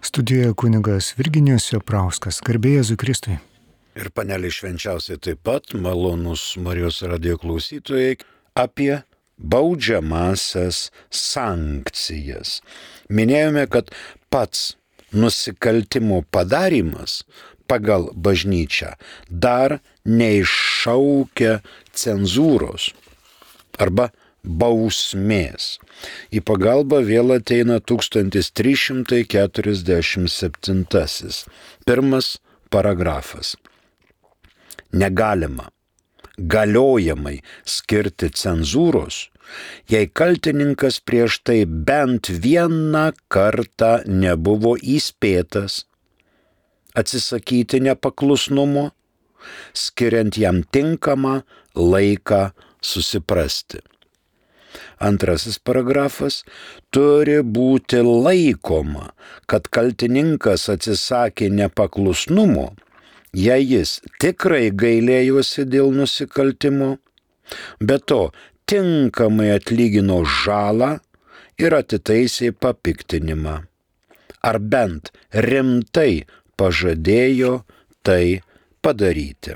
Studijoje kunigas Virginijus Joprauskas. Garbė Jėzui Kristui. Ir panelį švenčiausiai taip pat, malonus Marijos radijo klausytojai, apie baudžiamąsias sankcijas. Minėjome, kad pats nusikaltimo padarymas pagal bažnyčią dar neiššaukia cenzūros arba bausmės. Į pagalbą vėl ateina 1347. Pirmas paragrafas. Negalima galiojamai skirti cenzūros, jei kaltininkas prieš tai bent vieną kartą nebuvo įspėtas atsisakyti nepaklusnumo, skiriant jam tinkamą laiką susiprasti. Antrasis paragrafas. Turi būti laikoma, kad kaltininkas atsisakė nepaklusnumo, jei jis tikrai gailėjosi dėl nusikaltimo, be to tinkamai atlygino žalą ir atitaisė papiktinimą, ar bent rimtai pažadėjo tai padaryti.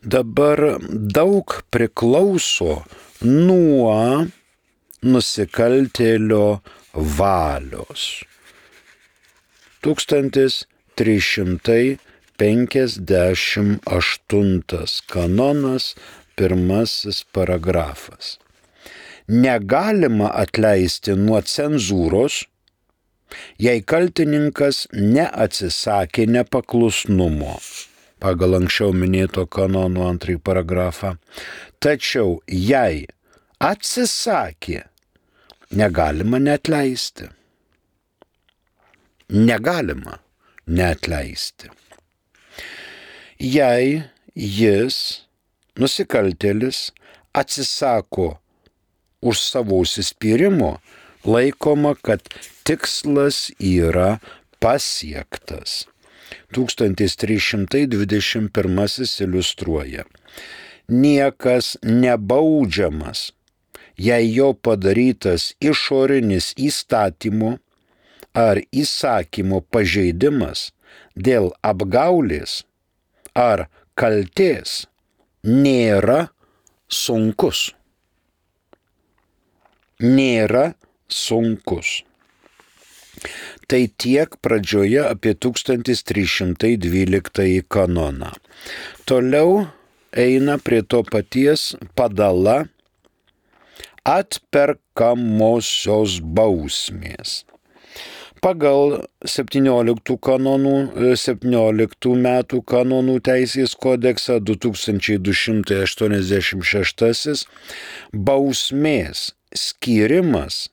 Dabar daug priklauso nuo nusikaltėlio valios. 1358 kanonas, pirmasis paragrafas. Negalima atleisti nuo cenzūros, jei kaltininkas neatsisakė nepaklusnumo, pagal anksčiau minėto kanono antrąjį paragrafą. Tačiau jei atsisakė, negalima neatleisti. Negalima neatleisti. Jei jis, nusikaltėlis, atsisako už savo užsispyrimo, laikoma, kad tikslas yra pasiektas. 1321 iliustruoja. Niekas nebaudžiamas, jei jo padarytas išorinis įstatymo ar įsakymo pažeidimas dėl apgaulės ar kaltės nėra sunkus. Nėra sunkus. Tai tiek pradžioje apie 1312 kanoną. Toliau eina prie to paties padala atperkamosios bausmės. Pagal 17 metų kanonų teisės kodeksą 2286 bausmės skyrimas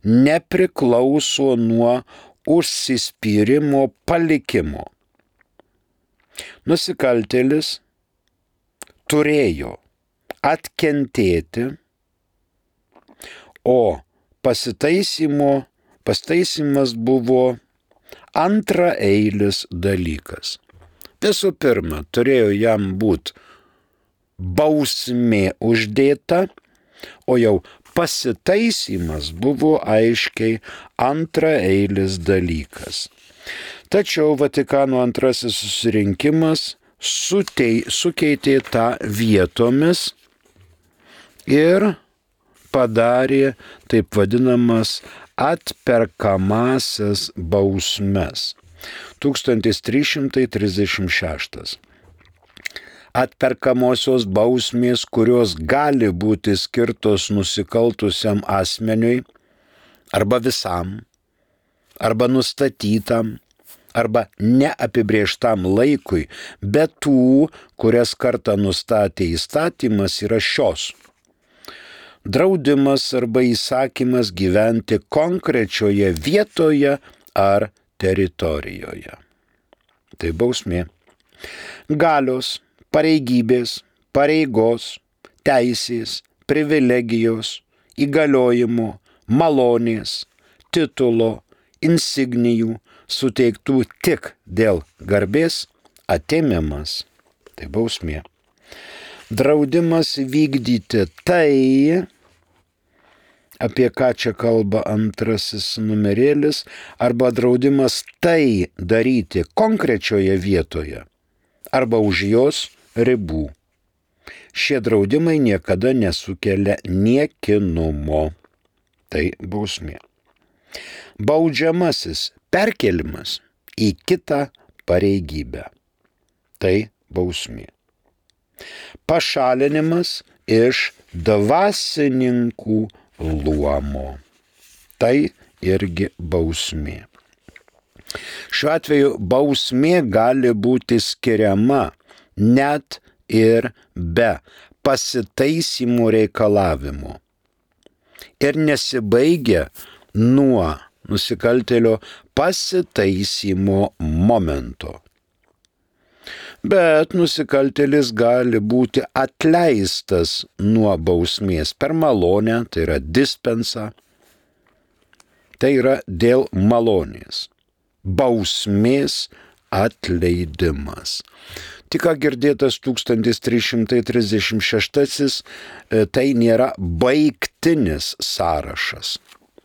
nepriklauso nuo užsispyrimo palikimo. Nusikaltėlis turėjo atkentėti, o pasitaisymas buvo antraeilis dalykas. Visų pirma, turėjo jam būti bausmė uždėta, o jau pasitaisymas buvo aiškiai antraeilis dalykas. Tačiau Vatikano antrasis susirinkimas sukeitė tą vietomis ir padarė taip vadinamas atperkamąsias bausmes. 1336. Atperkamosios bausmės, kurios gali būti skirtos nusikaltusiam asmeniui, arba visam, arba nustatytam, arba neapibrėžtam laikui, bet tų, kurias kartą nustatė įstatymas, yra šios. Draudimas arba įsakymas gyventi konkrečioje vietoje ar teritorijoje. Tai bausmė. Galios, pareigybės, pareigos, teisės, privilegijos, įgaliojimų, malonės, titulo, insignijų suteiktų tik dėl garbės atėmimas. Tai bausmė. Draudimas vykdyti tai, apie ką čia kalba antrasis numerėlis, arba draudimas tai daryti konkrečioje vietoje arba už jos ribų. Šie draudimai niekada nesukelia niekinumo. Tai bausmė. Baudžiamasis perkelimas į kitą pareigybę. Tai bausmė. Pašalinimas iš dvasininkų luomo. Tai irgi bausmė. Šiuo atveju bausmė gali būti skiriama net ir be pasitaisymo reikalavimo ir nesibaigia nuo nusikaltėlio pasitaisymo momento. Bet nusikaltėlis gali būti atleistas nuo bausmės per malonę, tai yra dispensa, tai yra dėl malonės. Bausmės atleidimas. Tik ką girdėtas 1336, tai nėra baigtinis sąrašas.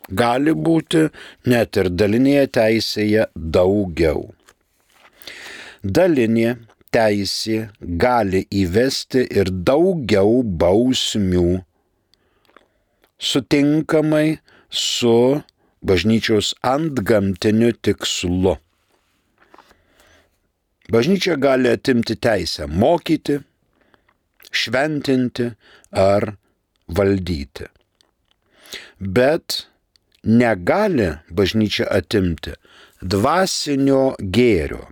Gali būti net ir dalinėje teisėje daugiau. Dalinė teisė gali įvesti ir daugiau bausmių, sutinkamai su bažnyčios antgamtiniu tikslu. Bažnyčia gali atimti teisę mokyti, šventinti ar valdyti. Bet negali bažnyčia atimti dvasinio gėrio,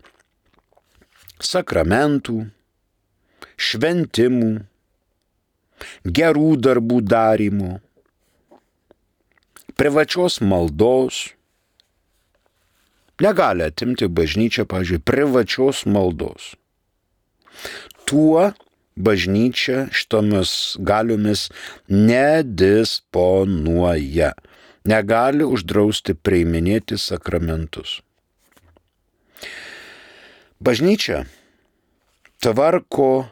sakramentų, šventimų, gerų darbų darymo, privačios maldos. Negali atimti bažnyčia, pavyzdžiui, privačios maldos. Tuo bažnyčia šitomis galiomis nedisponuoja. Negali uždrausti priiminėti sakramentus. Bažnyčia tvarko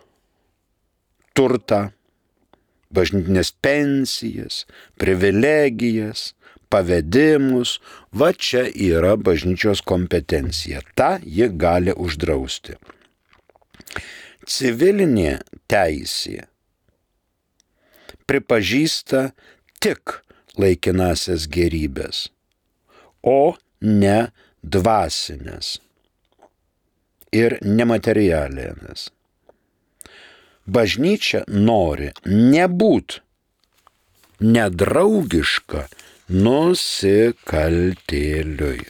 turtą, bažnytinės pensijas, privilegijas, pavedimus, va čia yra bažnyčios kompetencija. Ta ji gali uždrausti. Civilinė teisė pripažįsta tik laikinasias gėrybės, o ne dvasinės ir nematerialinės. Bažnyčia nori nebūt nedraugiška nusikaltėliui.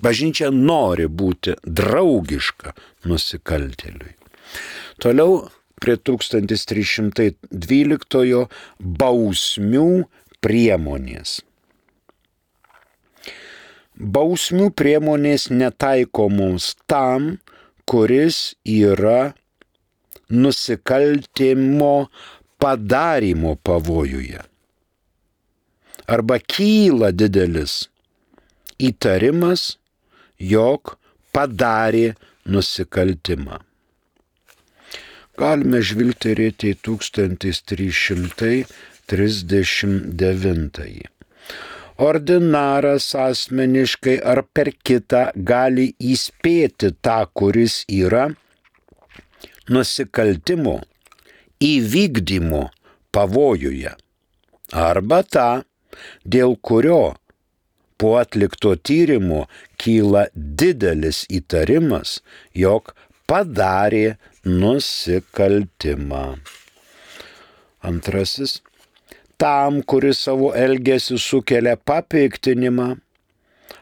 Bažnyčia nori būti draugiška nusikaltėliui. Toliau prie 1312 bausmių priemonės. Bausmių priemonės netaikomos tam, kuris yra nusikaltimo padarymo pavojuje. Arba kyla didelis įtarimas, jog padarė nusikaltimą. Galime žvilgterėti į 1339. Ordinaras asmeniškai ar per kitą gali įspėti tą, kuris yra nusikaltimo įvykdymo pavojuje, arba tą, dėl kurio po atlikto tyrimo kyla didelis įtarimas, jog padarė nusikaltimą. Antrasis, tam, kuris savo elgesiu sukelia papiktinimą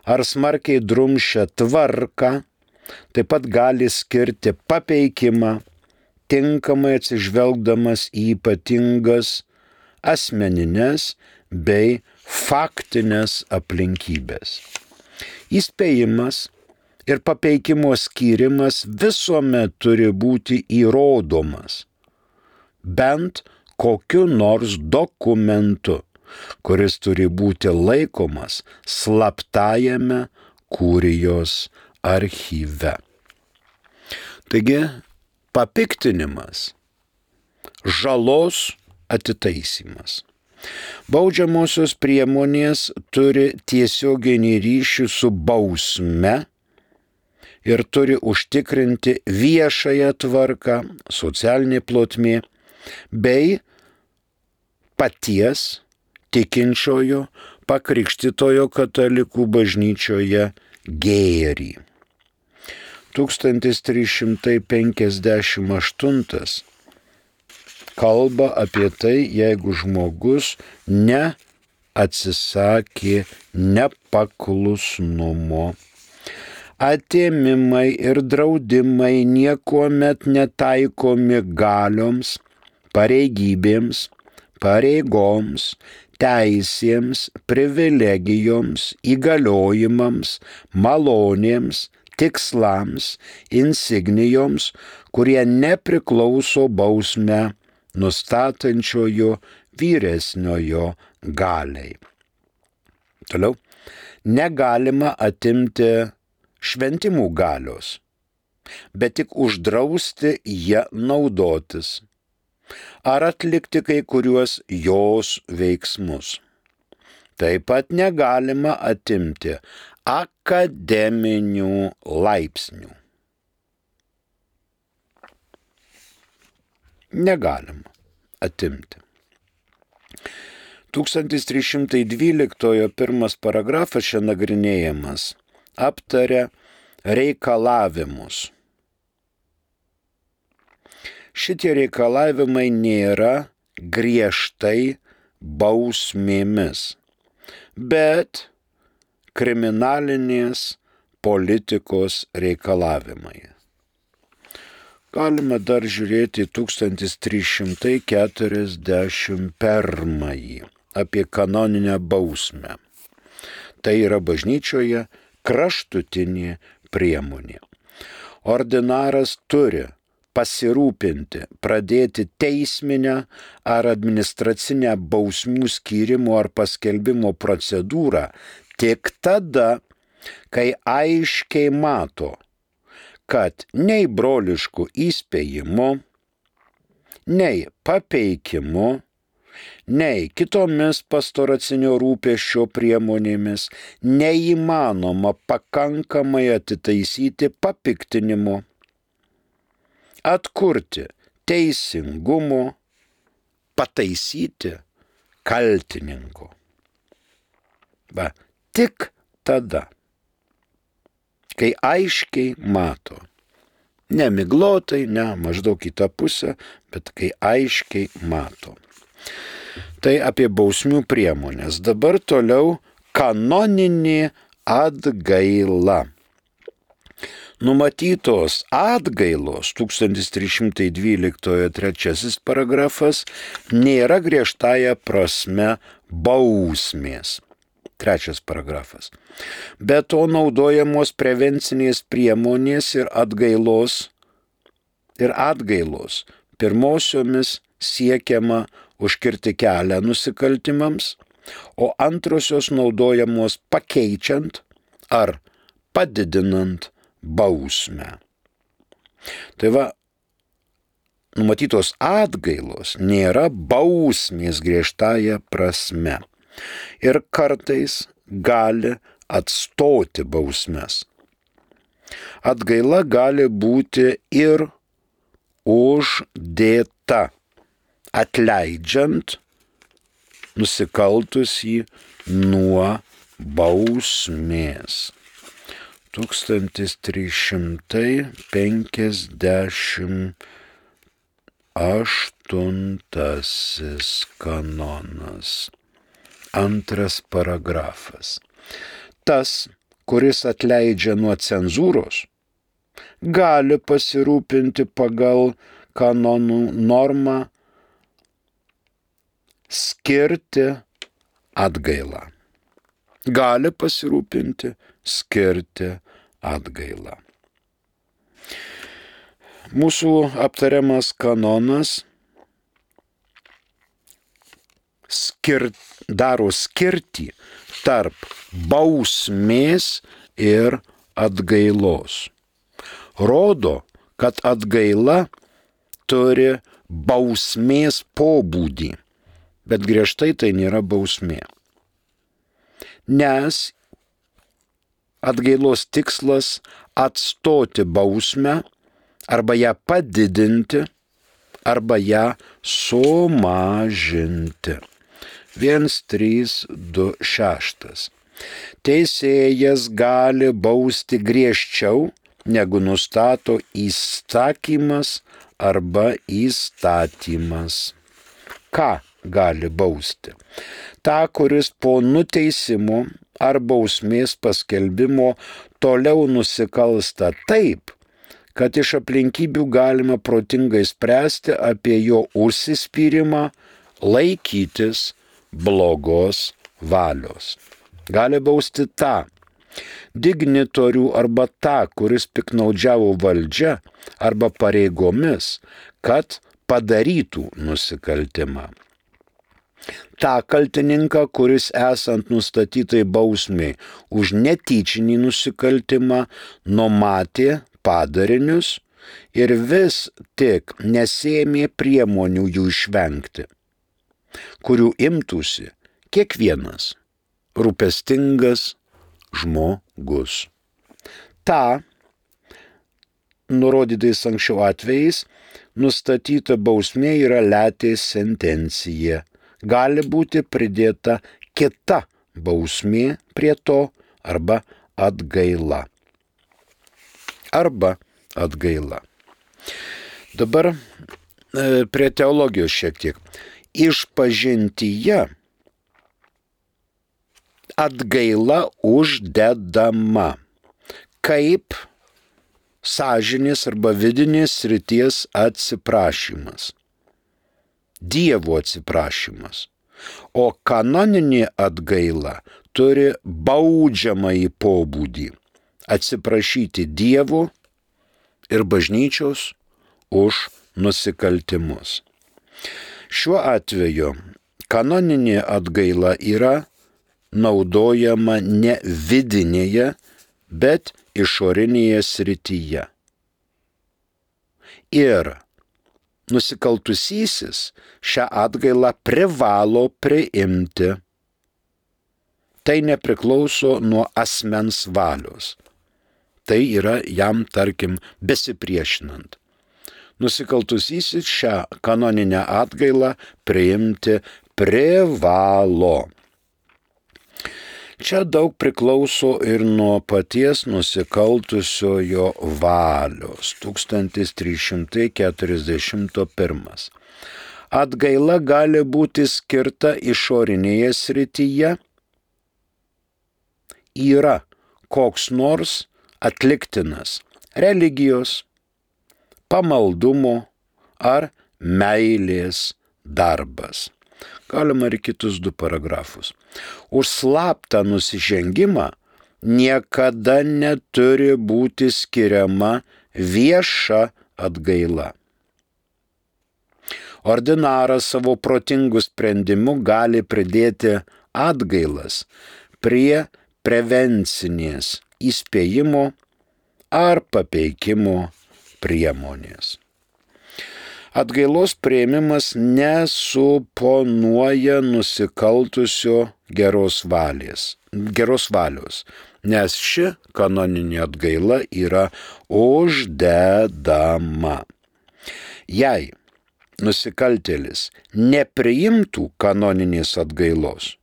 ar smarkiai drumsčia tvarką, taip pat gali skirti papeikimą, tinkamai atsižvelgdamas į ypatingas asmeninės bei faktinės aplinkybės. Įspėjimas ir papeikimo skyrimas visuomet turi būti įrodomas, bent kokiu nors dokumentu, kuris turi būti laikomas slaptajame kurijos archyve. Taigi, papiktinimas, žalos atitaisymas. Baudžiamosios priemonės turi tiesioginį ryšį su bausme ir turi užtikrinti viešąją tvarką, socialinė plotmė, bei paties tikinčiojo pakrikštytojo katalikų bažnyčioje gėrį. 1358 kalba apie tai, jeigu žmogus neatsisakė nepaklusnumo. Atėmimai ir draudimai niekuomet netaikomi galioms, pareigybėms, pareigoms, teisėms, privilegijoms, įgaliojimams, malonėms, tikslams, insignijoms, kurie nepriklauso bausmę nustatančiojo vyresniojo galiai. Toliau. Negalima atimti šventimų galios, bet tik uždrausti ją naudotis ar atlikti kai kuriuos jos veiksmus. Taip pat negalima atimti akademinių laipsnių. Negalima atimti. 1312 pirmas paragrafas čia nagrinėjamas aptaria reikalavimus. Šitie reikalavimai nėra griežtai bausmėmis, bet kriminalinės politikos reikalavimai. Galime dar žiūrėti 1341 apie kanoninę bausmę. Tai yra bažnyčioje kraštutinė priemonė. Ordinaras turi pasirūpinti, pradėti teisminę ar administracinę bausmių skyrimo ar paskelbimo procedūrą tik tada, kai aiškiai mato, kad nei broliškų įspėjimų, nei papeikimu, nei kitomis pastoracinio rūpesčio priemonėmis neįmanoma pakankamai atitaisyti papiktinimu, atkurti teisingumo, pataisyti kaltininko. Tik tada, kai aiškiai mato, ne miglotai, ne maždaug į tą pusę, bet kai aiškiai mato. Tai apie bausmių priemonės. Dabar toliau kanoninė atgaila. Numatytos atgailos 1312 trečiasis paragrafas nėra griežtąja prasme bausmės. Trečias paragrafas. Be to naudojamos prevencinės priemonės ir atgailos. Pirmosiomis siekiama užkirti kelią nusikaltimams, o antrosios naudojamos pakeičiant ar padidinant bausmę. Tai va, numatytos atgailos nėra bausmės griežtąja prasme ir kartais gali atstoti bausmes. Atgaila gali būti ir uždėta, atleidžiant nusikaltusį nuo bausmės. 1358 kanonas. Antras paragrafas. Tas, kuris atleidžia nuo cenzūros, gali pasirūpinti pagal kanonų normą skirti atgailą. Gali pasirūpinti skirti atgailą. Mūsų aptariamas kanonas daro skirtį tarp bausmės ir atgailos. Rodo, kad atgaila turi bausmės pobūdį bet griežtai tai nėra bausmė. Nes atgailos tikslas atstoti bausmę arba ją padidinti, arba ją sumažinti. 1.3.2.6. Teisėjas gali bausti griežčiau, negu nustato įsakymas arba įstatymas. Ką gali bausti? Ta, kuris po nuteisimo ar bausmės paskelbimo toliau nusikalsta taip, kad iš aplinkybių galima protingai spręsti apie jo užsispyrimą laikytis blogos valios. Gali bausti tą dignitorių arba tą, kuris piknaudžiavo valdžia arba pareigomis, kad padarytų nusikaltimą. Ta kaltininką, kuris esant nustatytai bausmiai už netyčinį nusikaltimą numatė padarinius ir vis tik nesėmė priemonių jų išvengti, kurių imtųsi kiekvienas rūpestingas žmogus. Ta, nurodytais anksčiau atvejais, nustatyta bausmė yra letės sentencija. Gali būti pridėta kita bausmė prie to arba atgaila. Dabar prie teologijos šiek tiek. Išpažintyje atgaila uždedama kaip sąžinės arba vidinės srities atsiprašymas, Dievo atsiprašymas, o kanoninė atgaila turi baudžiamąjį pobūdį atsiprašyti Dievo ir bažnyčios už nusikaltimus. Šiuo atveju kanoninė atgaila yra naudojama ne vidinėje, bet išorinėje srityje. Ir nusikaltusysis šią atgailą privalo priimti. Tai nepriklauso nuo asmens valios. Tai yra jam, tarkim, besipriešinant. Nusikaltusysis šią kanoninę atgailą priimti privalo. Čia daug priklauso ir nuo paties nusikaltusiojo valios. 1341. Atgaila gali būti skirta išorinėje srityje. Yra koks nors atliktinas religijos, pamaldumo ar meilės darbas. Galima ir kitus 2 paragrafus. Už slaptą nusižengimą niekada neturi būti skiriama vieša atgaila. Ordinaras savo protingų sprendimų gali pridėti atgailas prie prevencinės įspėjimo ar papeikimo priemonės. Atgailos priėmimas nesuponuoja nusikaltusio geros valios, nes ši kanoninė atgaila yra uždedama. Jei nusikaltėlis nepriimtų kanoninės atgailos,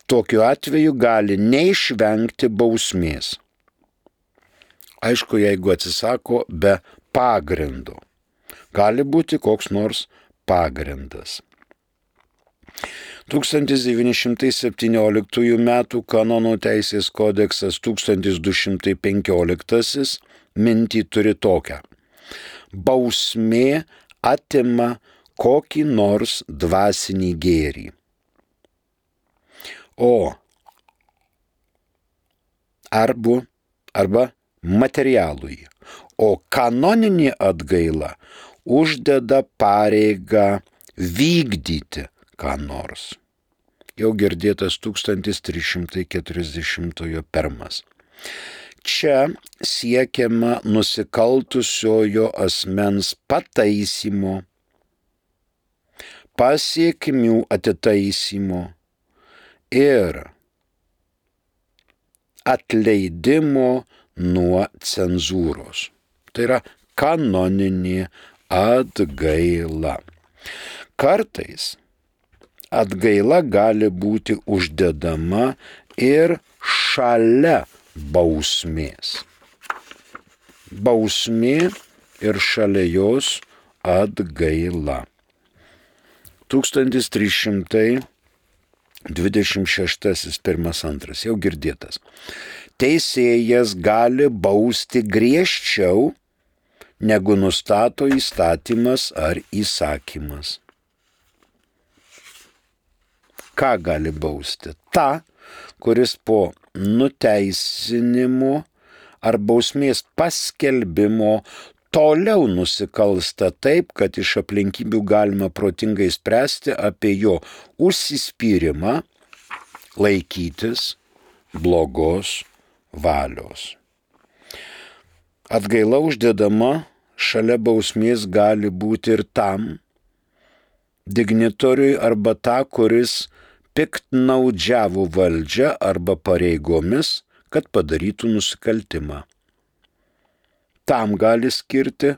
tokiu atveju gali neišvengti bausmės. Aišku, jeigu atsisako be pagrindo. Gali būti koks nors pagrindas. 1917 m. Kanonų teisės kodeksas 1215 mintį turi tokią. Bausmė atima kokį nors dvasinį gėrį. Arba materialui. O kanoninė atgaila uždeda pareigą vykdyti ką nors. Jau girdėtas 1341. Čia siekiama nusikaltusiojo asmens pataisymo, pasiekmių atitaisymo ir atleidimo nuo cenzūros. Tai yra kanoninė atgaila. Kartais atgaila gali būti uždedama ir šalia bausmės. Bausmė ir šalia jos atgaila. 1326 1.2 jau girdėtas. Teisėjas gali bausti griežčiau, negu nustato įstatymas ar įsakymas. Ką gali bausti? Ta, kuris po nuteisinimo ar bausmės paskelbimo toliau nusikalsta taip, kad iš aplinkybių galima protingai spręsti apie jo užsispyrimą laikytis blogos valios. Atgaila uždedama šalia bausmės gali būti ir tam dignitoriui arba tą, kuris piktnaudžiavo valdžia arba pareigomis, kad padarytų nusikaltimą. Tam gali skirti,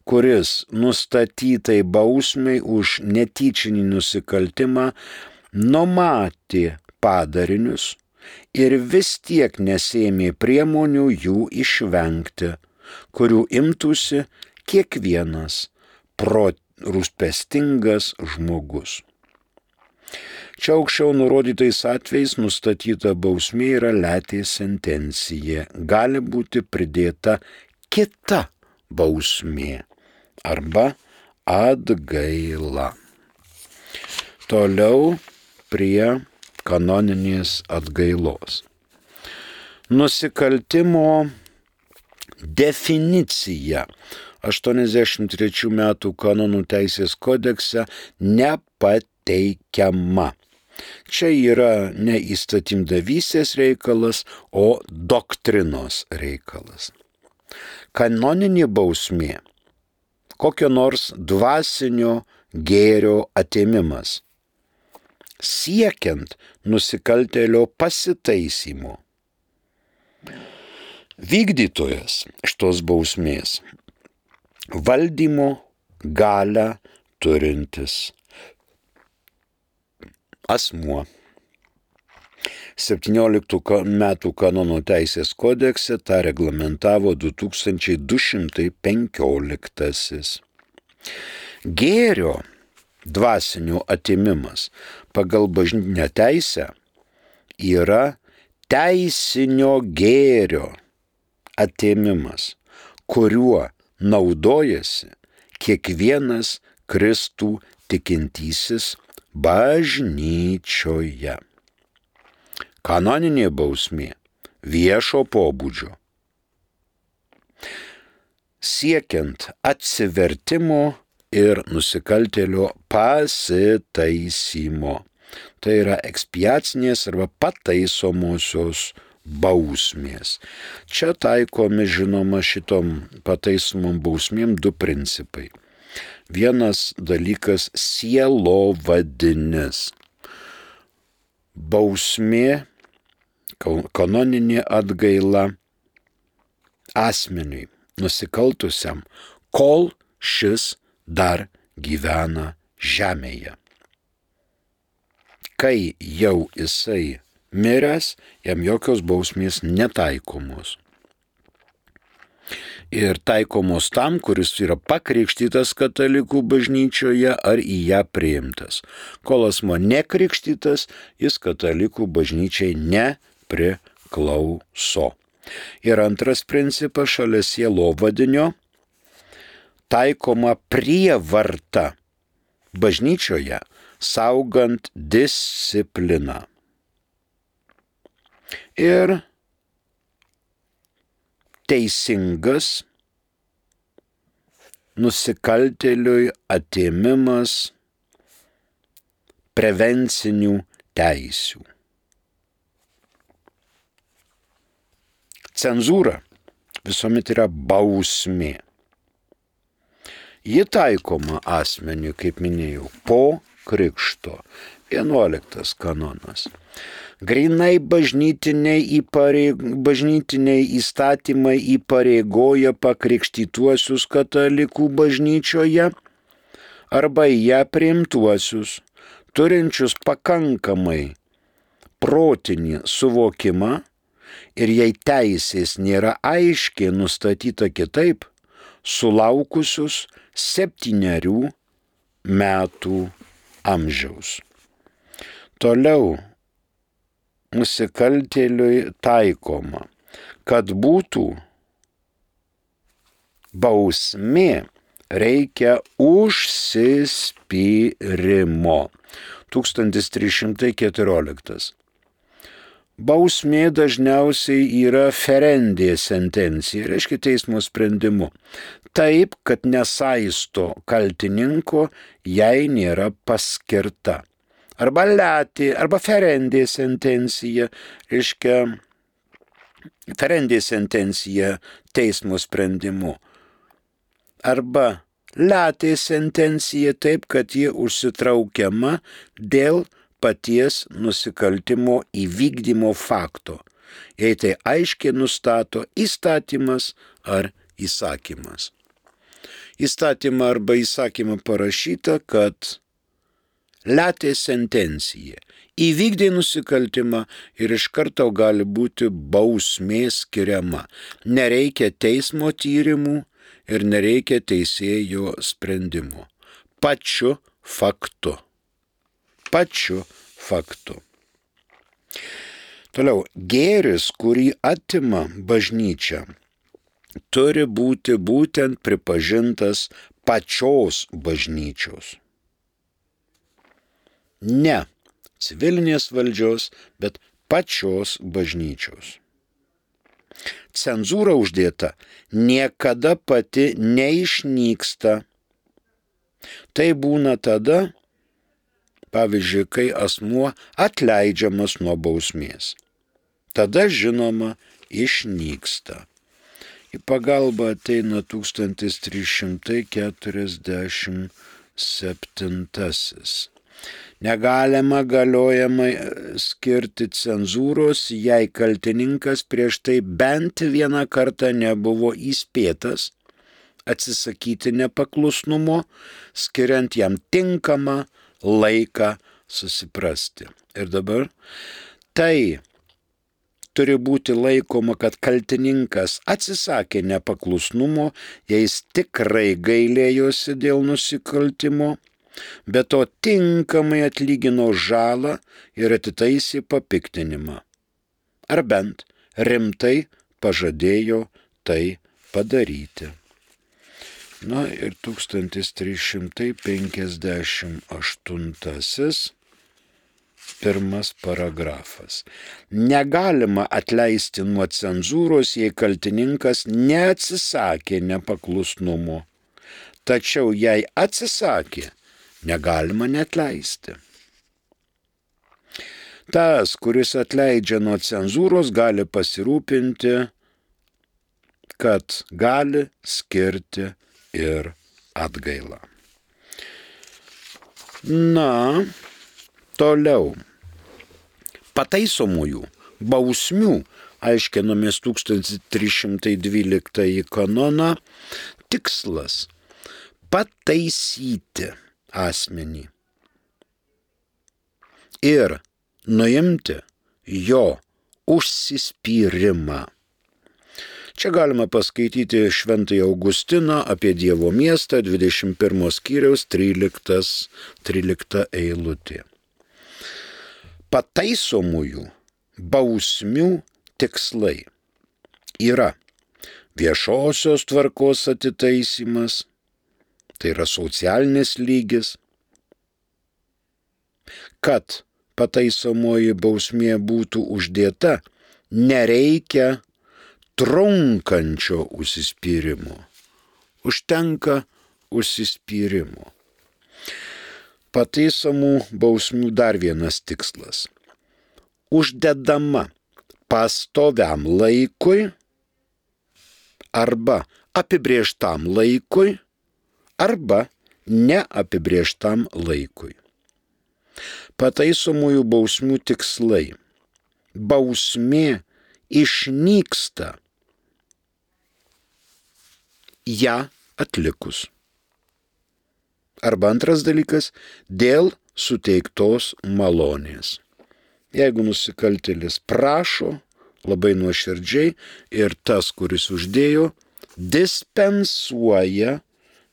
kuris nustatytai bausmei už netyčinį nusikaltimą numatė padarinius ir vis tiek nesėmė priemonių jų išvengti, kurių imtųsi kiekvienas rūpestingas žmogus. Čia aukščiau nurodytais atvejais nustatyta bausmė yra letė sentencija. Gali būti pridėta kita bausmė arba atgaila. Toliau prie kanoninės atgailos. Nusikaltimo definicija 83 metų kanonų teisės kodekse nepateikiama. Čia yra ne įstatymdavystės reikalas, o doktrinos reikalas. Kanoninė bausmė – kokio nors dvasinio gėrio atėmimas, siekiant nusikaltėlio pasitaisymo. Vykdytojas šitos bausmės valdymo galią turintis asmuo. 17 metų kanonų teisės kodekse tą reglamentavo 2215. Gėrio dvasinio atėmimas pagal bažnytinę teisę yra teisinio gėrio atėmimas, kuriuo naudojasi kiekvienas Kristų tikintysis bažnyčioje. Kanoninė bausmė viešo pobūdžio. Siekiant atsivertimo ir nusikaltėlio pasitaisymo. Tai yra ekspiacinės arba pataisomosios bausmės. Čia taikomi, žinoma, šitom pataisomom bausmėm du principai. Vienas dalykas – sielovadinis. Bausmė, kanoninė atgaila asmeniui, nusikaltusiam, kol šis dar gyvena žemėje. Kai jau jisai miręs, jam jokios bausmės netaikomos. Ir taikomos tam, kuris yra pakrikštytas katalikų bažnyčioje ar į ją priimtas. Kol asmuo nekrikštytas, jis katalikų bažnyčiai nepriklauso. Ir antras principas šalia sielovadinio taikoma prievarta bažnyčioje, saugant discipliną. Ir teisingas nusikaltėliui atėmimas prevencinių teisių. Cenzūra visuomet yra bausmė. Ji taikoma asmeniui, kaip minėjau, po krikšto. 11 kanonas. Grinai bažnytiniai įstatymai įpareigoja pakrikštytuosius katalikų bažnyčioje arba į ją priimtuosius, turinčius pakankamai protinį suvokimą ir jei teisės nėra aiškiai nustatyta kitaip, sulaukusius 7 metų amžiaus. Toliau nusikaltėliui taikoma, kad būtų bausmė, reikia užsispyrimo. 1314. Bausmė dažniausiai yra ferendė sentencija, reiškia teismo sprendimu. Taip, kad nesaisto kaltininko, jei nėra paskirta. Arba letė, arba ferendė sentencija, reiškia ferendė sentencija teismo sprendimu. Arba letė sentencija taip, kad ji užsitraukiama dėl paties nusikaltimo įvykdymo fakto, jei tai aiškiai nustato įstatymas ar įsakymas. Įstatymą arba įsakymą parašyta, kad letė sentencija įvykdė nusikaltimą ir iš karto gali būti bausmė skiriama. Nereikia teismo tyrimų ir nereikia teisėjo sprendimo. Pačiu faktu. Toliau, gėris, kurį atima bažnyčia, turi būti būtent pripažintas pačios bažnyčios. Ne civilinės valdžios, bet pačios bažnyčios. Cenzūra uždėta niekada pati neišnyksta. Tai būna tada, pavyzdžiui, kai asmuo atleidžiamas nuo bausmės. Tada, žinoma, išnyksta. Į pagalbą ateina 1347. Negalima galiojamai skirti cenzūros, jei kaltininkas prieš tai bent vieną kartą nebuvo įspėtas atsisakyti nepaklusnumo, skiriant jam tinkamą laiką susiprasti. Ir dabar tai turi būti laikoma, kad kaltininkas atsisakė nepaklusnumo, jei jis tikrai gailėjosi dėl nusikaltimo, bet to tinkamai atlygino žalą ir atitaisė papiktinimą. Ar bent rimtai pažadėjo tai padaryti. Na ir 1358. Pirmas paragrafas. Negalima atleisti nuo cenzūros, jei kaltininkas neatsisakė nepaklusnumo. Tačiau jei atsisakė, negalima neatleisti. Tas, kuris atleidžia nuo cenzūros, gali pasirūpinti, kad gali skirti ir atgailą. Na, toliau. Pataisomųjų bausmių, aiškinomės 1312 kanoną, tikslas pataisyti asmenį ir nuimti jo užsispyrimą. Čia galima paskaityti Šventąjį Augustiną apie Dievo miestą, 21 skyriaus 13 eilutė. Pataisomųjų bausmių tikslai yra viešosios tvarkos atitaisymas, tai yra socialinis lygis, kad pataisomoji bausmė būtų uždėta, nereikia trunkančio užsispyrimo. Užtenka užsispyrimo. Pataisomų bausmių dar vienas tikslas. Uždedama pastoviam laikui arba apibrėžtam laikui arba neapibrėžtam laikui. Pataisomųjų bausmių tikslai. Bausmė išnyksta ją atlikus. Arba antras dalykas, dėl suteiktos malonės. Jeigu nusikaltėlis prašo labai nuoširdžiai ir tas, kuris uždėjo, dispensuoja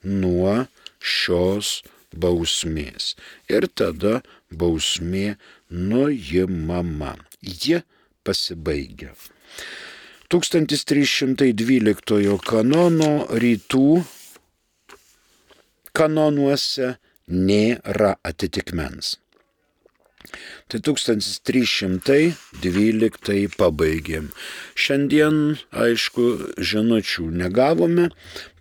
nuo šios bausmės. Ir tada bausmė nuimama. Ji pasibaigia. 1312 kanono rytų kanonuose nėra atitikmens. Tai 1312 pabaigėm. Šiandien, aišku, žinučių negavome.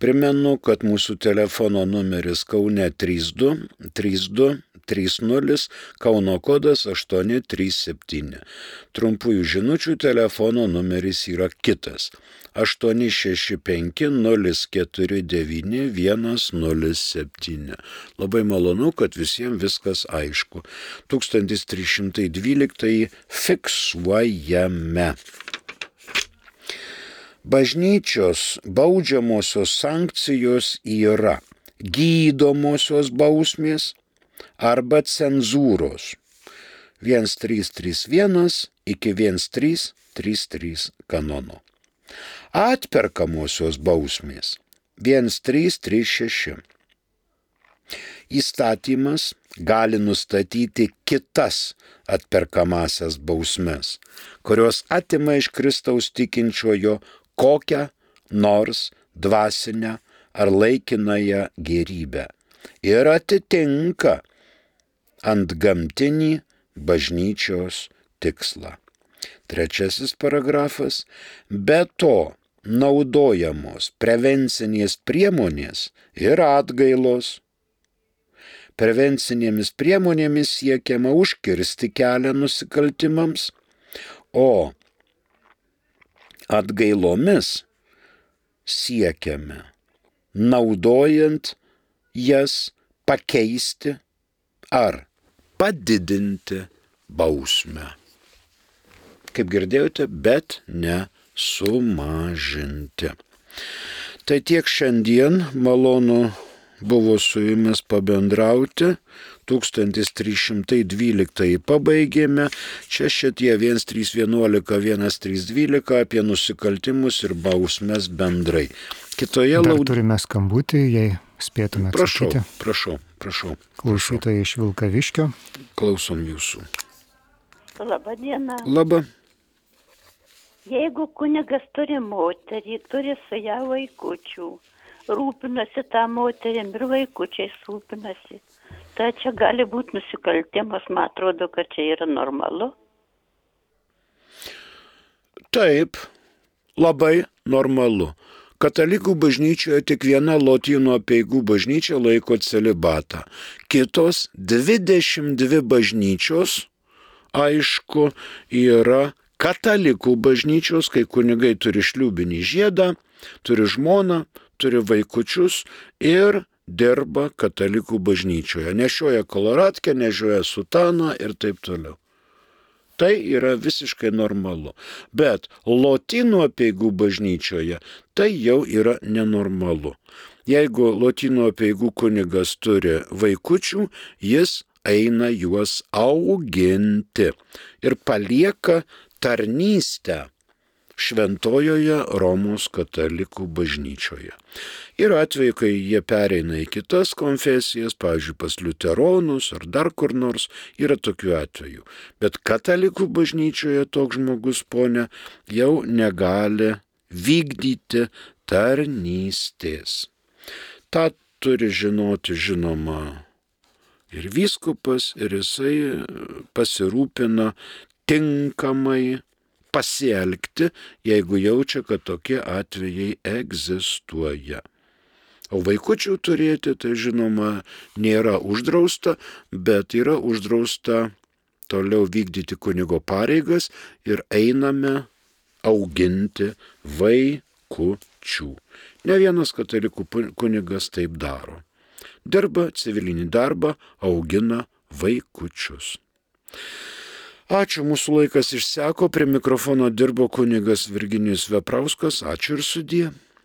Primenu, kad mūsų telefono numeris Kaune 32 30, Kauno kodas 837. Trumpųjų žinučių telefono numeris yra kitas. 865-049-107. Labai malonu, kad visiems viskas aišku. 1312 fiksuojame. Bažnyčios baudžiamosios sankcijos yra gydomosios bausmės arba cenzūros. 1331 iki 1333 kanono. Atperkamosios bausmės 1336. Įstatymas gali nustatyti kitas atperkamasias bausmes, kurios atima iš Kristaus tikinčiojo kokią nors dvasinę ar laikinąją gėrybę ir atitinka antgamtinį bažnyčios tikslą. Trečiasis paragrafas. Be to naudojamos prevencinės priemonės ir atgailos. Prevencinėmis priemonėmis siekiama užkirsti kelią nusikaltimams, o atgailomis siekiame, naudojant jas, pakeisti ar padidinti bausmę. Kaip girdėjote, bet ne sumažinti. Tai tiek šiandien, malonu buvo su jumis pabendrauti. 1312 pabaigėme. Čia šitie 1311, 1312 apie nusikaltimus ir bausmes bendrai. Kitoje turime skambutį, jei spėtume atsakyti. Prašau. Klausytojai iš Vilkaviškio. Klausom jūsų. Labą dieną. Labą. Jeigu kunigas turi moterį, turi su ją vaikučių, rūpinasi tą moterim ir vaikučiais rūpinasi, tai čia gali būti nusikaltimas, man atrodo, kad čia yra normalu. Taip, labai normalu. Katalikų bažnyčioje tik viena Lotynų apeigų bažnyčia laiko celibatą. Kitos 22 bažnyčios, aišku, yra katalikų bažnyčios, kai kunigai turi šliūbinį žiedą, turi žmoną, turi vaikučius ir dirba katalikų bažnyčioje. Nešioja koloratkę, nešioja sutaną ir taip toliau. Tai yra visiškai normalu. Bet Lotynų apeigų bažnyčioje tai jau yra nenormalu. Jeigu Lotynų apeigų kunigas turi vaikučių, jis eina juos auginti ir palieka tarnystę šventojoje Romos katalikų bažnyčioje. Ir atveju, kai jie pereina į kitas konfesijas, pavyzdžiui, pas liuteronus ar dar kur nors, yra tokių atvejų. Bet katalikų bažnyčioje toks žmogus, ponia, jau negali vykdyti tarnystės. Ta turi žinoti, žinoma, ir vyskupas, ir jisai pasirūpina tinkamai pasielgti, jeigu jaučia, kad tokie atvejai egzistuoja. O vaikučių turėti, tai žinoma, nėra uždrausta, bet yra uždrausta toliau vykdyti kunigo pareigas ir einame auginti vaikučių. Ne vienas katalikų kunigas taip daro. dirba civilinį darbą, augina vaikučius. Ačiū, mūsų laikas išseko, prie mikrofono dirbo kunigas Virginijus Veprauskas, ačiū ir sudie.